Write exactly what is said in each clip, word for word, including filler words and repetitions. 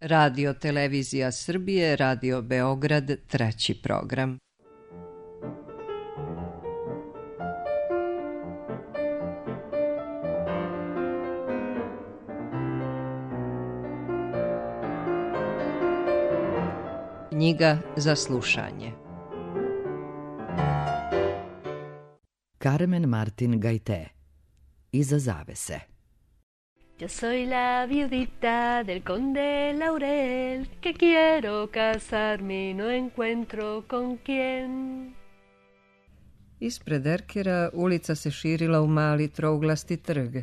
Radio Televizija Srbije, Radio Beograd, treći program. Knjiga za slušanje. Carmen Martin Gaité. Iza zavese. Yo soy la viudita del conde Laurel, que quiero casarme y no encuentro con quién. Ispred Erkera ulica se širila u mali trouglasti trg.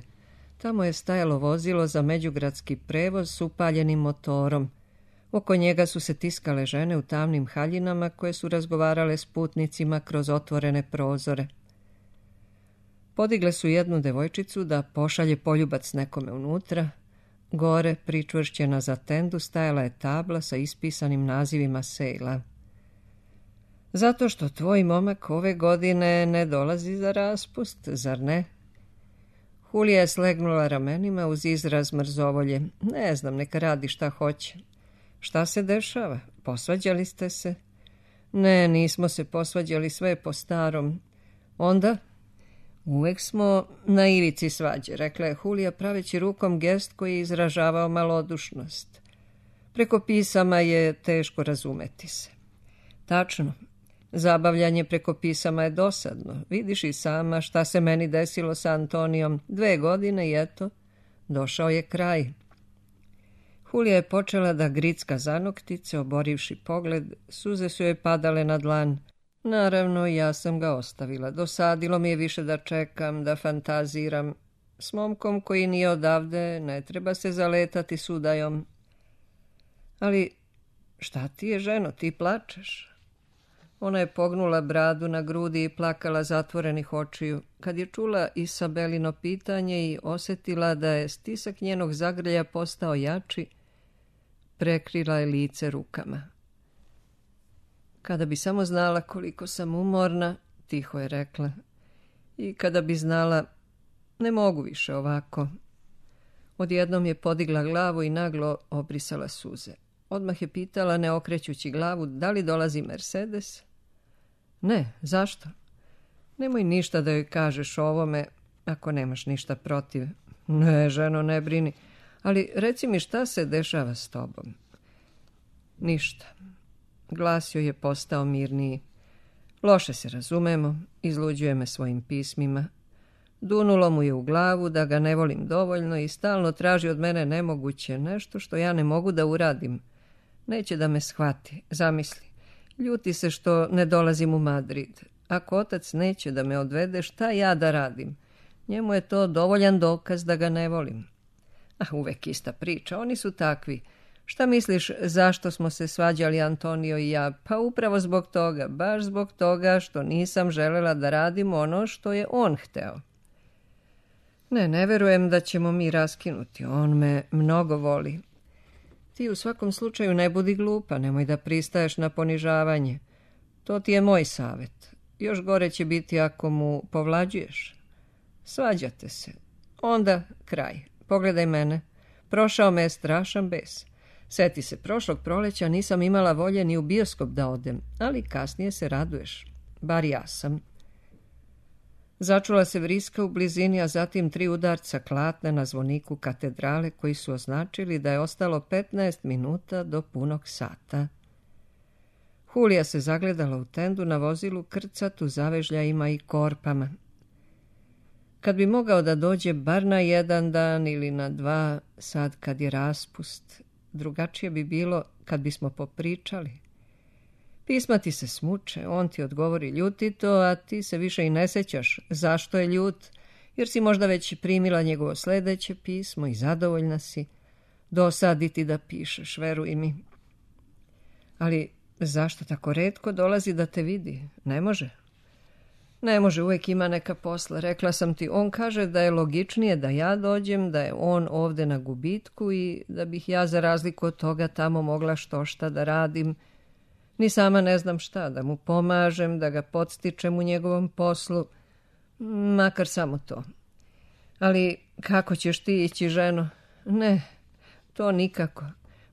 Tamo je stajalo vozilo za međugradski prevoz s upaljenim motorom. Oko njega su se tiskale žene u tamnim haljinama koje su razgovarale s putnicima kroz otvorene prozore. Podigle su jednu devojčicu da pošalje poljubac nekome unutra. Gore, pričvršćena za tendu, stajala je tabla sa ispisanim nazivima sejla. Zato što tvoj momak ove godine ne dolazi za raspust, zar ne? Hulija je slegnula ramenima uz izraz mrzovolje. Ne znam, neka radi šta hoće. Šta se dešava? Posvađali ste se? Ne, nismo se posvađali, sve je po starom. Onda? Uvek smo na ivici svađe, rekla je Hulija praveći rukom gest koji je izražavao malodušnost. Preko pisama je teško razumeti se. Tačno, zabavljanje preko pisama je dosadno. Vidiš i sama šta se meni desilo sa Antonijom. Dve godine i eto, došao je kraj. Hulija je počela da gricka zanoktice, oborivši pogled, suze su joj padale na dlan. Naravno, ja sam ga ostavila. Dosadilo mi je više da čekam, da fantaziram. S momkom koji nije odavde, ne treba se zaletati s udajom. Ali šta ti je, ženo, ti plačeš? Ona je pognula bradu na grudi i plakala zatvorenih očiju. Kad je čula Isabelino pitanje i osjetila da je stisak njenog zagrlja postao jači, prekrila je lice rukama. Kada bi samo znala koliko sam umorna, tiho je rekla, i kada bi znala, ne mogu više ovako. Odjednom je podigla glavu i naglo obrisala suze. Odmah je pitala, ne okrećući glavu, da li dolazi Mercedes? Ne, zašto? Nemoj ništa da joj kažeš o ovome, ako nemaš ništa protiv. Ne, ženo, ne brini, ali reci mi šta se dešava s tobom. Ništa. Glas joj je postao mirniji. Loše se razumemo, izluđuje me svojim pismima. Dunulo mu je u glavu da ga ne volim dovoljno i stalno traži od mene nemoguće, nešto što ja ne mogu da uradim. Neće da me shvati, zamisli. Ljuti se što ne dolazim u Madrid. Ako otac neće da me odvede, šta ja da radim? Njemu je to dovoljan dokaz da ga ne volim. Ah, uvek ista priča, oni su takvi. Šta misliš zašto smo se svađali Antonio i ja? Pa upravo zbog toga, baš zbog toga što nisam želela da radim ono što je on hteo. Ne, ne verujem da ćemo mi raskinuti, on me mnogo voli. Ti u svakom slučaju ne budi glupa, nemoj da pristaješ na ponižavanje. To ti je moj savjet. Još gore će biti ako mu povlađuješ. Svađate se. Onda kraj. Pogledaj mene. Prošao me je strašan bes. Sjeti se, prošlog proleća nisam imala volje ni u bioskop da odem, ali kasnije se raduješ. Bar ja sam. Začula se vriska u blizini, a zatim tri udarca klatne na zvoniku katedrale koji su označili da je ostalo petnaest minuta do punog sata. Hulija se zagledala u tendu na vozilu krcatu zavežljajima i korpama. Kad bi mogao da dođe bar na jedan dan ili na dva, sad kad je raspust, drugačije bi bilo kad bismo popričali. Pisma ti se smuče, on ti odgovori ljutito, a ti se više i ne sećaš zašto je ljut, jer si možda već primila njegovo sledeće pismo i zadovoljna si. Dosadi ti da pišeš, veruj mi. Ali zašto tako retko dolazi da te vidi? Ne može? Ne može, uvek ima neka posla. Rekla sam ti, on kaže da je logičnije da ja dođem, da je on ovde na gubitku i da bih ja za razliku od toga tamo mogla što šta da radim. Ni sama ne znam šta, da mu pomažem, da ga podstičem u njegovom poslu, makar samo to. Ali kako ćeš ti ići, ženo? Ne, to nikako.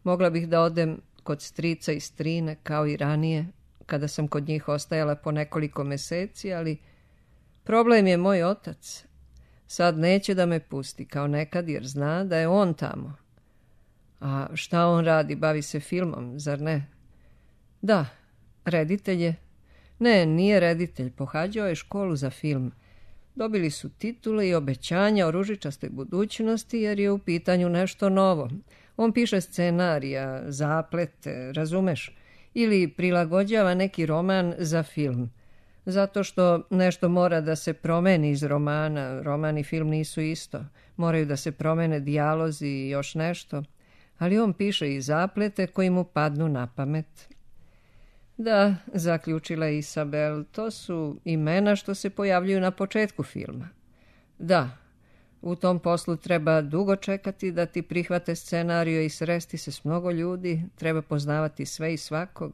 Mogla bih da odem kod strica i strine, kao i ranije, kada sam kod njih ostajala po nekoliko meseci, ali problem je moj otac. Sad neće da me pusti, kao nekad, jer zna da je on tamo. A šta on radi? Bavi se filmom, zar ne? Da, reditelj je. Ne, nije reditelj, pohađao je školu za film. Dobili su titule i obećanja o ružičastoj budućnosti, jer je u pitanju nešto novo. On piše scenarija, zaplete, razumeš? Ili prilagođava neki roman za film. Zato što nešto mora da se promeni iz romana. Roman i film nisu isto. Moraju da se promene dijalozi i još nešto. Ali on piše i zaplete koji mu padnu na pamet. Da, zaključila je Isabel, to su imena što se pojavljuju na početku filma. Da, u tom poslu treba dugo čekati da ti prihvate scenariju i sresti se s mnogo ljudi, treba poznavati sve i svakog.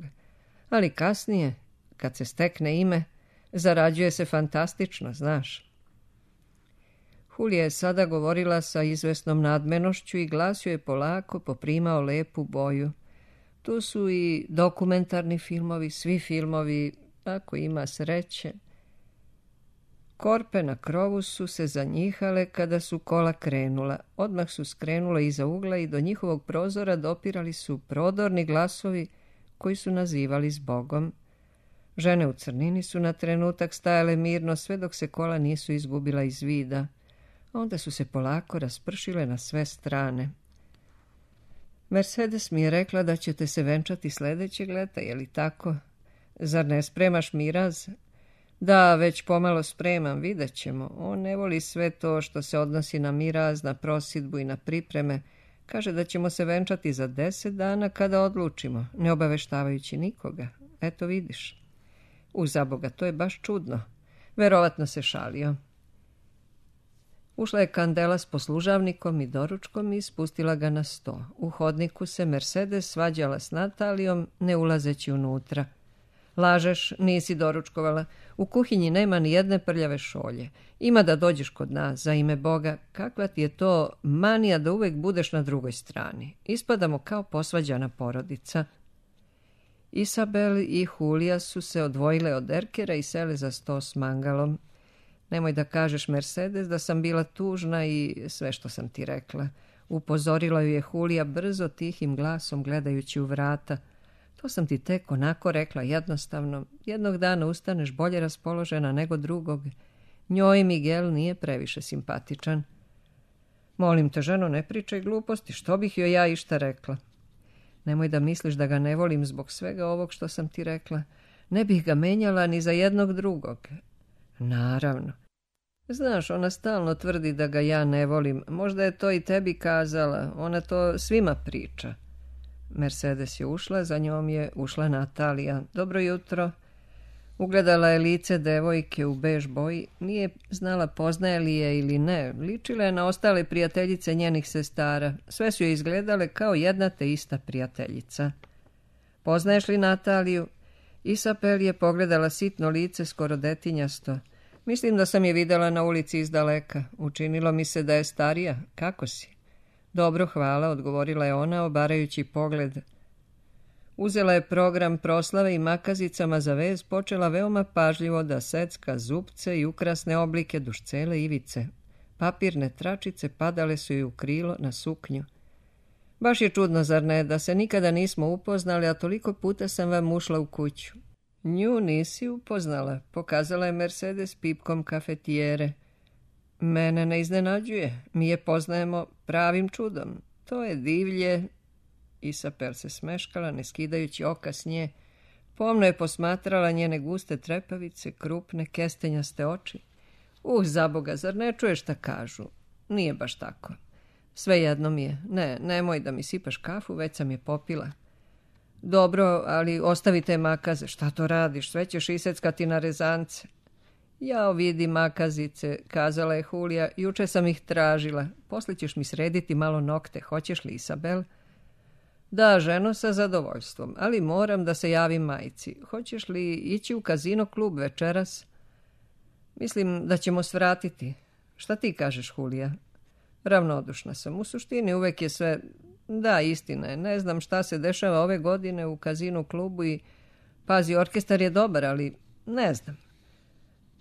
Ali kasnije, kad se stekne ime, zarađuje se fantastično, znaš. Julija je sada govorila sa izvesnom nadmenošću i glas joj je polako poprimao lepu boju. Tu su i dokumentarni filmovi, svi filmovi, ako ima sreće. Korpe na krovu su se zanjihale kada su kola krenula. Odmah su skrenule iza ugla i do njihovog prozora dopirali su prodorni glasovi koji su nazivali zbogom. Žene u crnini su na trenutak stajale mirno sve dok se kola nisu izgubila iz vida. Onda su se polako raspršile na sve strane. Mercedes mi je rekla da ćete se venčati sljedećeg leta, je li tako? Zar ne spremaš miraz? Da, već pomalo spremam, vidjet ćemo. On ne voli sve to što se odnosi na miraz, na prosidbu i na pripreme. Kaže da ćemo se venčati za deset dana kada odlučimo, ne obaveštavajući nikoga. Eto vidiš. U zaboga, to je baš čudno. Verovatno se šalio. Ušla je Kandela s poslužavnikom i doručkom i spustila ga na sto. U hodniku se Mercedes svađala s Natalijom, ne ulazeći unutra. Lažeš, nisi doručkovala. U kuhinji nema ni jedne prljave šolje. Ima da dođeš kod nas, za ime Boga. Kakva ti je to manija da uvek budeš na drugoj strani. Ispadamo kao posvađana porodica. Isabel i Julija su se odvojile od Erkera i sele za sto s mangalom. Nemoj da kažeš, Mercedes, da sam bila tužna i sve što sam ti rekla. Upozorila ju je Julija brzo, tihim glasom, gledajući u vrata. To sam ti tek onako rekla, jednostavno. Jednog dana ustaneš bolje raspoložena nego drugog. Njoj Miguel nije previše simpatičan. Molim te, ženo, ne pričaj gluposti, što bih joj ja išta rekla? Nemoj da misliš da ga ne volim zbog svega ovog što sam ti rekla. Ne bih ga menjala ni za jednog drugog. Naravno. Znaš, ona stalno tvrdi da ga ja ne volim. Možda je to i tebi kazala. Ona to svima priča. Mercedes je ušla, za njom je ušla Natalija. Dobro jutro. Ugledala je lice devojke u bež boji. Nije znala poznaje li je ili ne. Ličila je na ostale prijateljice njenih sestara. Sve su je izgledale kao jedna te ista prijateljica. Poznaješ li Nataliju? Isabel je pogledala sitno lice, skoro detinjasto. Mislim da sam je videla na ulici izdaleka. Učinilo mi se da je starija. Kako si? Dobro, hvala, odgovorila je ona, obarajući pogled. Uzela je program proslave i makazicama za vez počela veoma pažljivo da secka zupce i ukrasne oblike duž cele ivice. Papirne tračice padale su joj u krilo na suknju. Baš je čudno, zar ne, da se nikada nismo upoznali, a toliko puta sam vam ušla u kuću. Nju nisi upoznala, pokazala je Mercedes pipkom kafetijere. Mene ne iznenađuje, mi je poznajemo pravim čudom. To je divlje. Isabel se smeškala, ne skidajući oka s nje. Pomno je posmatrala njene guste trepavice, krupne, kestenjaste oči. Uh, zaboga, zar ne čuješ šta kažu? Nije baš tako. Svejedno mi je. Ne, nemoj da mi sipaš kafu, već sam je popila. Dobro, ali ostavi te makaze. Šta to radiš? Sve ćeš iseckati na rezance. Jao, vidi makazice, kazala je Julija. Juče sam ih tražila. Posle ćeš mi srediti malo nokte. Hoćeš li, Isabel? Da, ženo, sa zadovoljstvom, ali moram da se javim majci. Hoćeš li ići u kazino klub večeras? Mislim da ćemo svratiti. Šta ti kažeš, Julija? Ravnodušna sam. U suštini uvek je sve Da, istina je. Ne znam šta se dešava ove godine u kazinu klubu i pazi, orkestar je dobar, ali ne znam.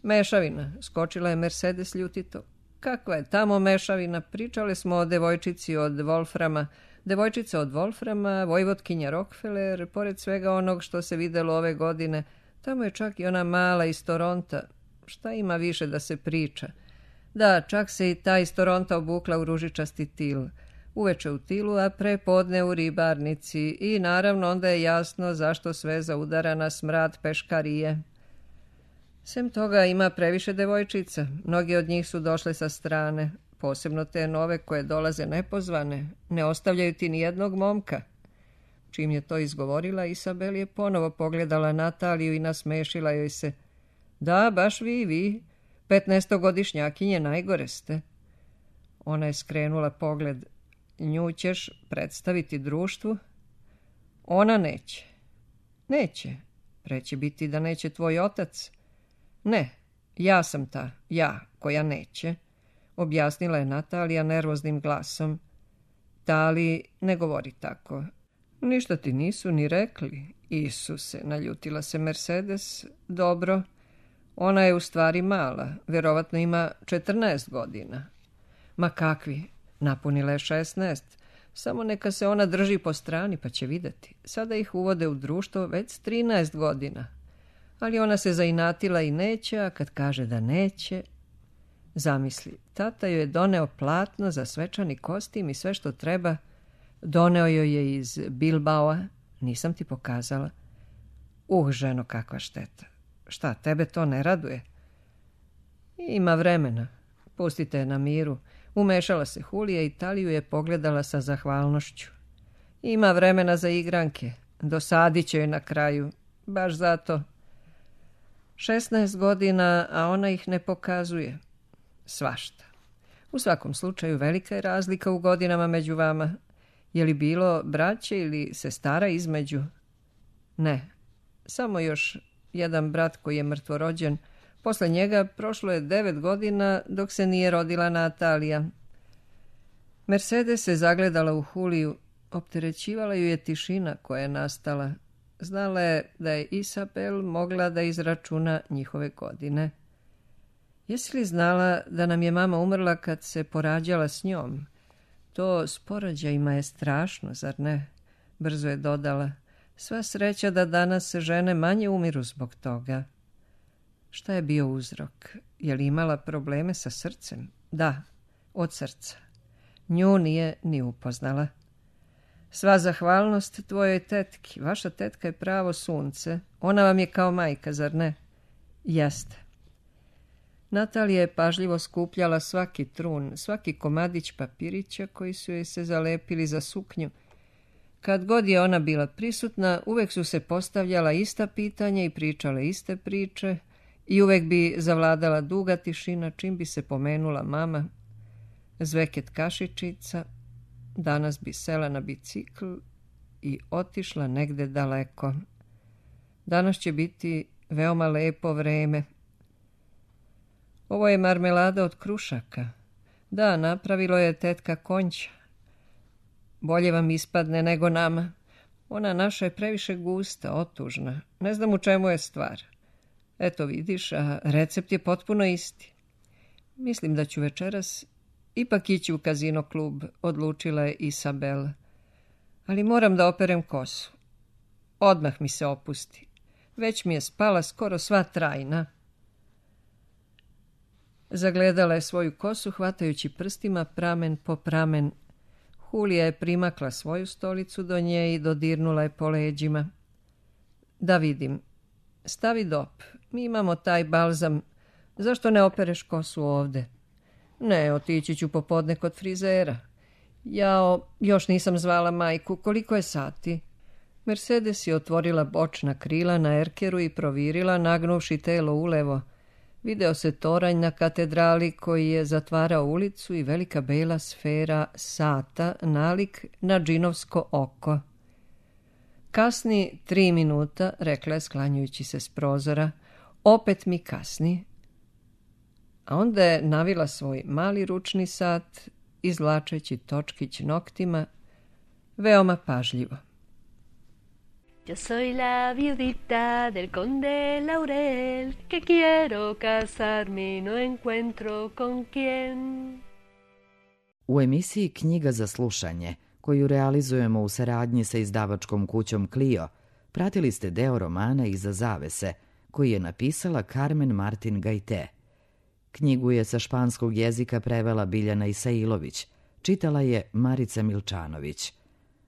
Mešavina, skočila je Mercedes ljutito. Kakva je tamo mešavina? Pričale smo o devojčici od Wolframa. Devojčica od Wolframa, vojvotkinja Rockefeller, pored svega onog što se videlo ove godine. Tamo je čak i ona mala iz Toronta. Šta ima više da se priča? Da, čak se i ta iz Toronta obukla u ružičasti til. Uveče u tilu, a pre podne u ribarnici. I naravno onda je jasno zašto sve zaudara na smrad peškarije. Sem toga ima previše devojčica. Mnogi od njih su došle sa strane. Posebno te nove koje dolaze nepozvane. Ne ostavljaju ti ni jednog momka. Čim je to izgovorila, Isabel je ponovo pogledala Nataliju i nasmešila joj se. Da, baš vi, vi. Petnaestogodišnjakinje najgore ste. Ona je skrenula pogled. Nju ćeš predstaviti društvu? Ona neće. Neće. Preće biti da neće tvoj otac. Ne, ja sam ta, ja, koja neće, objasnila je Natalija nervoznim glasom. Tali, ne govori tako. Ništa ti nisu ni rekli. Isuse, naljutila se Mercedes. Dobro, ona je u stvari mala, vjerovatno ima četrnaest godina. Ma kakvi, napunila je šesnaest. Samo neka se ona drži po strani pa će vidjeti. Sada ih uvode u društvo već s trinaest godina. Ali ona se zainatila i neće, a kad kaže da neće... Zamisli, tata joj je doneo platno za svečani kostim i sve što treba. Doneo joj je iz Bilbaoa, nisam ti pokazala. Uh, ženo, kakva šteta. Šta, tebe to ne raduje? Ima vremena, pustite je na miru. Umešala se Hulija i Taliju je pogledala sa zahvalnošću. Ima vremena za igranke, dosadit će joj na kraju, baš zato... šesnaest godina, a ona ih ne pokazuje. Svašta. U svakom slučaju velika je razlika u godinama među vama. Je li bilo braće ili sestara između? Ne. Samo još jedan brat koji je mrtvorođen. Posle njega prošlo je devet godina dok se nije rodila Natalija. Mercedes se zagledala u Huliju. Opterećivala ju je tišina koja je nastala. Znala je da je Isabel mogla da izračuna njihove godine. Jesi li znala da nam je mama umrla kad se porađala s njom? To s porođajima je strašno, zar ne? Brzo je dodala. Sva sreća da danas žene manje umiru zbog toga. Šta je bio uzrok? Je li imala probleme sa srcem? Da, od srca. Nju nije ni upoznala. Sva zahvalnost tvojoj tetki. Vaša tetka je pravo sunce. Ona vam je kao majka, zar ne? Jeste. Natalija je pažljivo skupljala svaki trun, svaki komadić papirića koji su joj se zalepili za suknju. Kad god je ona bila prisutna, uvek su se postavljala ista pitanja i pričale iste priče i uvek bi zavladala duga tišina čim bi se pomenula mama. Zveket kašičica, danas bi sela na bicikl i otišla negde daleko. Danas će biti veoma lepo vreme. Ovo je marmelada od krušaka. Da, napravilo je tetka Konća. Bolje vam ispadne nego nama. Ona naša je previše gusta, otužna. Ne znam u čemu je stvar. Eto vidiš, a recept je potpuno isti. Mislim da ću večeras ipak ići u kazino klub, odlučila je Isabel. Ali moram da operem kosu. Odmah mi se opusti. Već mi je spala skoro sva trajna. Zagledala je svoju kosu, hvatajući prstima pramen po pramen. Hulija je primakla svoju stolicu do nje i dodirnula je po leđima. Da vidim. Stavi dop. Mi imamo taj balzam. Zašto ne opereš kosu ovde? Ne, otići ću popodne kod frizera. Jao, još nisam zvala majku. Koliko je sati? Mercedes je otvorila bočna krila na erkeru i provirila, nagnuvši telo ulevo. Video se toranj na katedrali koji je zatvarao ulicu i velika bela sfera sata nalik na džinovsko oko. Kasni tri minuta, rekla je sklanjujući se s prozora. Opet mi kasni. A onda je navila svoj mali ručni sat, izvlačeći točkić noktima. veoma pažljivo. Yo soy la viudita del conde Laurel, que quiero casarme y no encuentro con quién. U emisiji Knjiga za slušanje, koju realizujemo u saradnji sa izdavačkom kućom Clio, pratili ste deo romana Iza zavese, koji je napisala Carmen Martin Gajte. Knjigu je sa španskog jezika prevela Biljana Isailović, čitala je Marica Milčanović.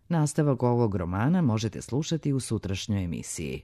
Nastavak ovog romana možete slušati u sutrašnjoj emisiji.